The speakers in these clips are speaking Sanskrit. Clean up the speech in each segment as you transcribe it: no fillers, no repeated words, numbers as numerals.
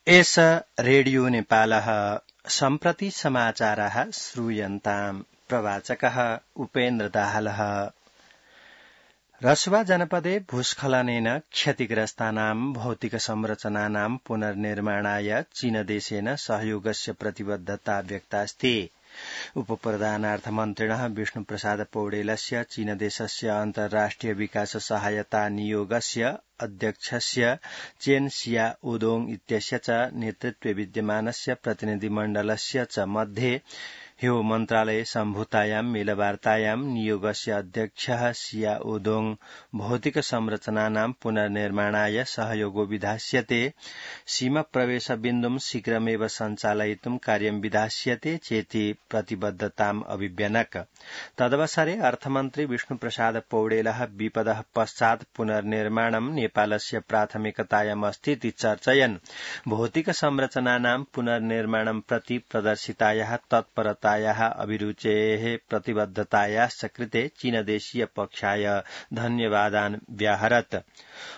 एष रेडियो नेपालः सम्प्रति समाचारः श्रूयन्ताम्। प्रवाचकः उपेन्द्र दाहालः। रसुवा जनपदे भूस्खलनेन क्षतिग्रस्तानां भौतिक संरचनानां पुनर्निर्माणाय चीनदेशेन सहयोगस्य प्रतिबद्धता व्यक्तास्ति। उपप्रधानार्थमन्त्रिणः विष्णुप्रसाद पौडेलस्य चीनदेशस्य अन्तर्राष्ट्रिय विकास सहायता नियोगस्य अध्यक्षस्य चेन सियाओदोङ इत्यस्य च नेतृत्वे विद्यमानस्य प्रतिनिधिमण्डलस्य च मध्ये ह्यो मन्त्रालये सम्भूतायां मेलवार्तायां नियोगस्य अध्यक्षः सियाओदोङ भौतिक संरचनानां पुनर्निर्माणाय सहयोगो विधास्यते, सीमाप्रवेशबिन्दुं शीघ्रमेव सञ्चालयितुं कार्यं विधास्यते चेति प्रतिबद्धताम् अभिव्यनक। तदवसरे अर्थमन्त्री विष्णुप्रसाद पौडेलः विपदः पश्चात् पुनर्निर्माणं नेपालस्य प्राथमिकतायाम् अस्तीति चर्चयन् भौतिक संरचनानां पुनर्निर्माणं प्रति प्रदर्शितायाः तत्परतायाः अभिरुचेः प्रतिबद्धतायाश्च कृते चीनदेशीय पक्षाय धन्यवादान् व्याहरत्।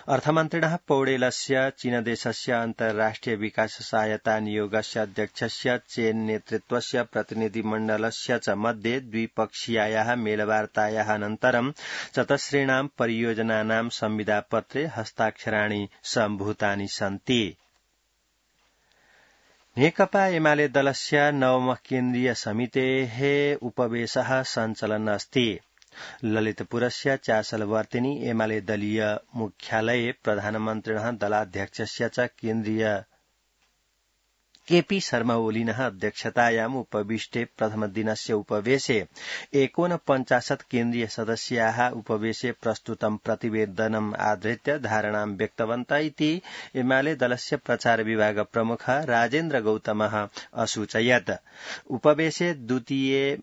अर्थमन्त्रिणः पौडेलस्य चीनदेशस्य अन्तर्राष्ट्रिय विकास सहायता नियोगस्य अध्यक्षस्य चेन नेतृत्वस्य प्रतिनिधिमण्डलस्य च मध्ये द्विपक्षीयायाः मेलवार्तायाः अनन्तरं चतस्रीणां परियोजनानां संविदापत्रे हस्ताक्षराणि सम्भूतानि सन्ति। नेकपा एमाले दलस्य नवमः केन्द्रीय समितेः उपवेशः सञ्चलन् अस्ति। ललितपुरस्य चासलवर्तिनी एमाले दलीय मुख्यालये प्रधानमन्त्रिणः दलाध्यक्षस्य च केन्द्रीय केपी शर्मा ओलिनः अध्यक्षतायाम् उपविष्टे प्रथमदिनस्य उपवेशे 49 केन्द्रीय सदस्याः उपवेशे प्रस्तुतं प्रतिवेदनम् आधृत्य धारणां व्यक्तवन्तः इति एमाले दलस्य प्रचार विभाग प्रमुख राजेन्द्र गौतमः असूचयत्। उपवेशे द्वितीये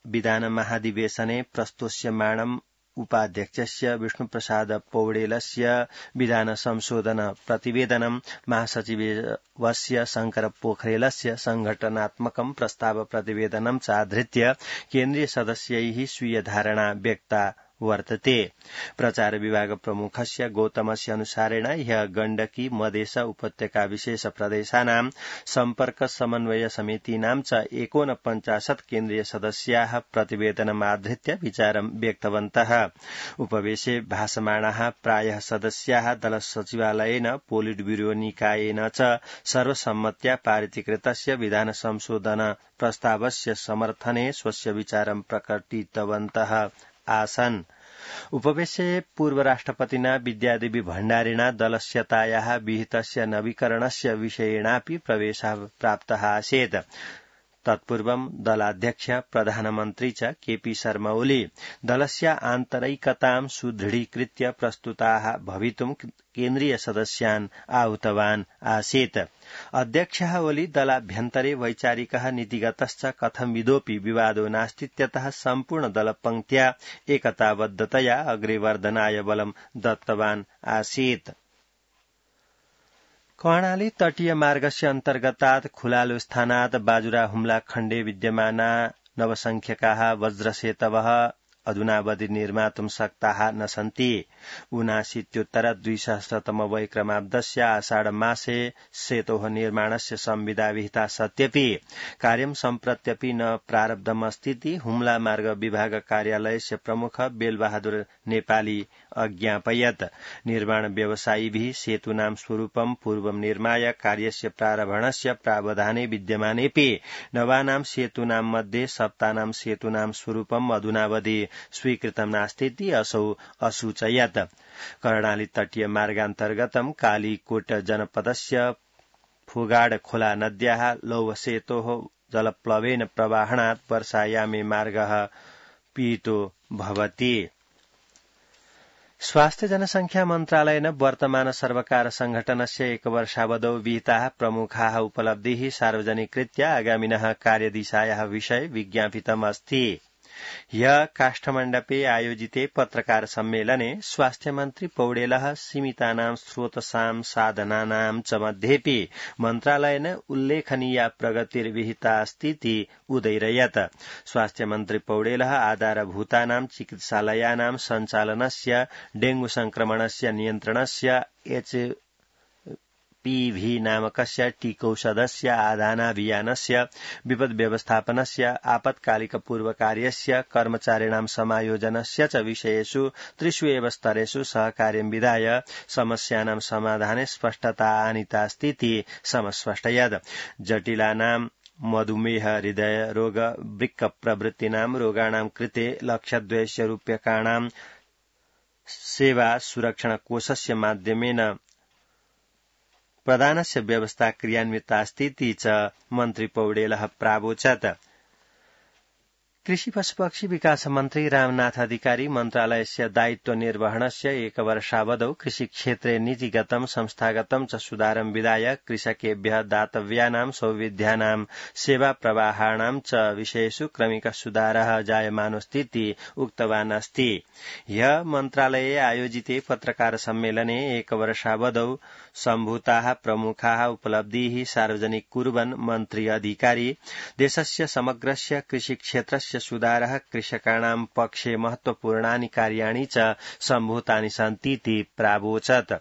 विधान महाधिवेशने प्रस्तोष्यमाणम् उपाध्यक्षस्य विष्णुप्रसाद पौडेलस्य विधान संशोधन प्रतिवेदनं महासचिवस्य शंकर पोखरेलस्य संघटनात्मकं प्रस्ताव प्रतिवेदनं च आधृत्य केन्द्रीय सदस्यैः स्वीय धारणा व्यक्ता वर्तते। प्रचार विभाग प्रमुखस्य गौतमस्य अनुसारेण ह्यः गण्डकी मधेस उपत्यका विशेष प्रदेशानां सम्पर्क समन्वय समितीनां च 49 केन्द्रीय सदस्याः प्रतिवेदनम् आधृत्य विचारं व्यक्तवन्तः। उपवेशे भाषमाणाः प्रायः सदस्याः दल सचिवालयेन पोलिट ब्यूरो निकायेन च सर्वसम्मत्या पारितीकृतस्य विधान संशोधन प्रस्तावस्य समर्थने स्वस्य विचारं प्रकटितवन्तः आसन्। उपवेशे पूर्व राष्ट्रपतिना विद्यादेवी भण्डारिणा दलस्यतायाः विहितस्य नवीकरणस्य विषयेणापि प्रवेशः प्राप्तः आसीत्। तत्पूर्वं दलाध्यक्ष प्रधानमन्त्री च केपी शर्मा ओली दलस्य आन्तरिकतां सुदृढीकृत्य प्रस्तुताः भवितुं केन्द्रीय सदस्यान् आहूतवान् आसीत्। अध्यक्षः ओली दलाभ्यन्तरे वैचारिकः नीतिगतश्च कथंविदोऽपि विवादो नास्तीत्यतः सम्पूर्ण दलपङ्क्त्या एकताबद्धतया अग्रे वर्धनाय बलं दत्तवान् आसीत्। कर्णाली तटीय मार्गस्य अन्तर्गतात् खुलालो स्थानात् बाजुरा हुम्ला खण्डे विद्यमाना नवसंख्यकाः वज्रसेतवः अधुनावधि निर्मातुं शक्ताः न सन्ति। 79-200 वैक्रमाब्दस्य आषाढ मासे सेतोः निर्माणस्य संविदा विहिता सत्यपि कार्यं सम्प्रत्यपि न प्रारब्धमस्तीति हुम्ला मार्ग विभाग कार्यालयस्य प्रमुख बेलबहादुर नेपाली अज्ञापयत्। निर्माण व्यवसायिभिः सेतूनां स्वरूपं पूर्वं निर्माय कार्यस्य प्रारम्भणस्य प्रावधाने विद्यमानेपि नवानां सेतूनां मध्ये सप्तानां सेतूनां स्वरूपम् अधुनावधि स्वीकृतं नास्तीति असौ असूचयत्। कर्णाली तटीय मार्गान्तर्गतं कालीकोट जनपदस्य फुगाड खोला नद्याः लौहसेतोः जलप्लवेन प्रवाहणात् वर्षायामे मार्गः पीतो भवति। स्वास्थ्य जनसंख्या मन्त्रालयेन वर्तमान सर्वकार संघटनस्य एकवर्षावधौ विहिताः प्रमुखाः उपलब्धिः सार्वजनिकृत्य आगामिनः कार्यदिशायाः विषये विज्ञापितम् अस्ति। ह्यः काष्ठमण्डपे आयोजिते पत्रकार सम्मेलने स्वास्थ्यमन्त्री पौडेलः सीमितानां स्रोतसां साधनानां च मध्येपि मन्त्रालयेन उल्लेखनीया प्रगतिर्विहिता अस्तीति उदैरयत्। स्वास्थ्यमन्त्री पौडेलः आधारभूतानां चिकित्सालयानां सञ्चालनस्य, डेंगू संक्रमणस्य नियन्त्रणस्य, एमपीभी नामकस्य टीकौषधस्य आदानाभियानस्य विपद् व्यवस्थापनस्य आपत्कालिकपूर्वकार्यस्य कर्मचारिणां समायोजनस्य च विषयेषु त्रिषु एव स्तरेषु सहकार्यं विधाय समस्यानां समाधाने स्पष्टता आनीतास्तीति समस्पष्टयत्। जटिलानां मधुमेह हृदय रोग वृक्क प्रभृतीनां रोगाणां कृते लक्षद्वयस्य रूप्यकाणां सेवा सुरक्षण कोषस्य माध्यमेन प्रदानस्य व्यवस्था क्रियान्वितास्तीति च मन्त्री पौडेलः प्रावोचत्। कृषि पशुपक्षी विकास मन्त्री रामनाथ अधिकारी मन्त्रालयस्य दायित्व निर्वहणस्य एकवर्षावधौ कृषिक्षेत्रे नीतिगतं संस्थागतं च सुधारं विधाय कृषकेभ्यः दातव्यानां सौविध्यानां सेवा प्रवाहाणां च विषयेषु क्रमिकः सुधारः जायमानोऽस्तीति उक्तवान् अस्ति। ह्यः मन्त्रालये आयोजिते पत्रकार सम्मेलने एकवर्षावधौ सम्भूताः प्रमुखाः उपलब्धीः सार्वजनिक कुर्वन् मन्त्री अधिकारी देशस्य समग्रस्य कृषिक्षेत्रस्य सुधारः कृषकाणां पक्षे महत्वपूर्णानि कार्याणि च सम्भूतानि सन्तीति प्रावोचत्।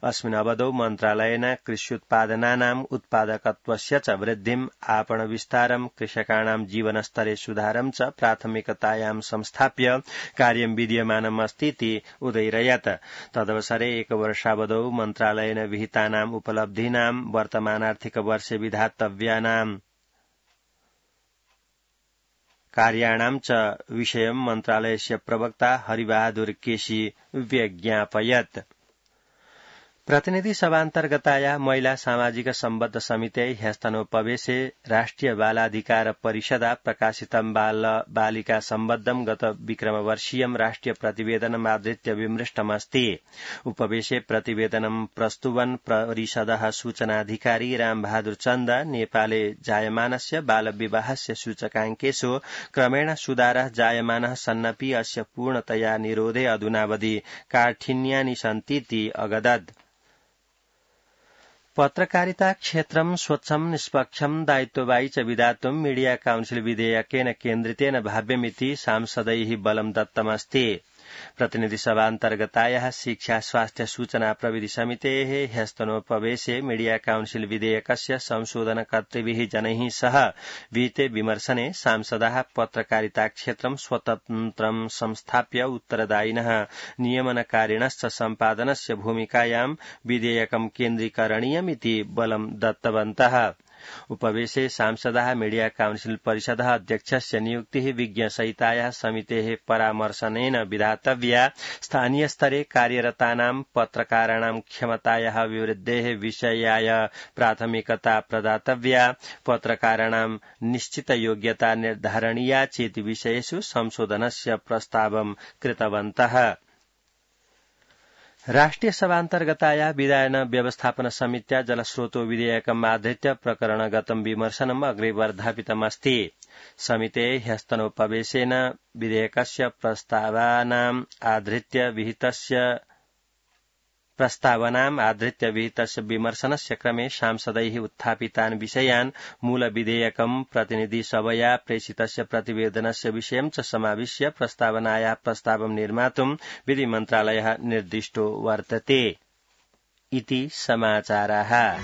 अस्मिन् अवधौ मन्त्रालयेन कृष्युत्पादनानाम् उत्पादकत्वस्य च वृद्धिम् आपण विस्तारं कृषकाणां जीवनस्तरे सुधारं च प्राथमिकतायां संस्थाप्य कार्यं विधीयमानम् अस्तीति उदयिरयत्। तदवसरे एकवर्षावधौ मन्त्रालयेन विहितानाम् उपलब्धीनां वर्तमानार्थिक वर्षे विधातव्यानां कार्याणां च विषयं मन्त्रालयस्य प्रवक्ता हरिबहादुर केसी व्यज्ञापयत्। प्रतिनिधि सभान्तर्गताया महिला सामाजिक सम्बद्ध समिते ह्यस्तनोपवेशे राष्ट्रिय बालाधिकार परिषदा प्रकाशितं बाल बालिका सम्बद्धं गत विक्रमवर्षीयं राष्ट्रिय प्रतिवेदनम् आधृत्य विमृष्टमस्ति। उपवेशे प्रतिवेदनं प्रस्तुवन् परिषदः सूचनाधिकारी रामबहादुर चन्द नेपाले जायमानस्य बालविवाहस्य सूचकाङ्केषु क्रमेण सुधारः जायमानः सन्नपि अस्य पूर्णतया निरोधे अधुनावधि काठिन्यानि सन्तीति अगदत्। पत्रकारिता क्षेत्रं स्वच्छं निष्पक्षं दायित्ववाही च विधातुं मीडिया काउन्सिल विधेयकेन केन्द्रितेन भाव्यमिति सांसदैः बलं दत्तमस्ति। प्रतिनिधि सभान्तर्गतायाः शिक्षा स्वास्थ्य सूचना प्रविधि समितेः ह्यस्तनोपवेशे मीडिया काउन्सिल विधेयकस्य संशोधनकर्तृभिः जनैः सह विहिते विमर्शने सांसदाः पत्रकारिता क्षेत्रं स्वतन्त्रं संस्थाप्य उत्तरदायिनः नियमनकारिणश्च सम्पादनस्य भूमिकायां विधेयकं केन्द्रीकरणीयमिति बलं दत्तवन्तः। उपवेशे सांसदाः मीडिया काउन्सिल परिषदः अध्यक्षस्य नियुक्तिः विज्ञसहितायाः समितेः परामर्शनेन विधातव्या, स्थानीयस्तरे कार्यरतानां पत्रकाराणां क्षमतायाः अभिवृद्धेः विषयाय प्राथमिकता प्रदातव्या, पत्रकाराणां निश्चितयोग्यता निर्धारणीया चेति विषयेषु संशोधनस्य प्रस्तावं कृतवन्तः। राष्ट्रिय सभान्तर्गताया विधायन व्यवस्थापन समित्या जलस्रोतो विधेयकम् आधृत्य प्रकरणगतं विमर्शनम् अग्रे वर्धापितमस्ति। समितेः ह्यस्तनोपवेशेन विधेयकस्य प्रस्तावनाम् आधृत्य विहितस्य विमर्शनस्य क्रमे सांसदैः उत्थापितान् विषयान् मूलविधेयकं प्रतिनिधिसभया प्रेषितस्य प्रतिवेदनस्य विषयं च समाविश्य प्रस्तावनायाः प्रस्तावं निर्मातुं विधिमन्त्रालयः निर्दिष्टो वर्तते इति समाचाराः।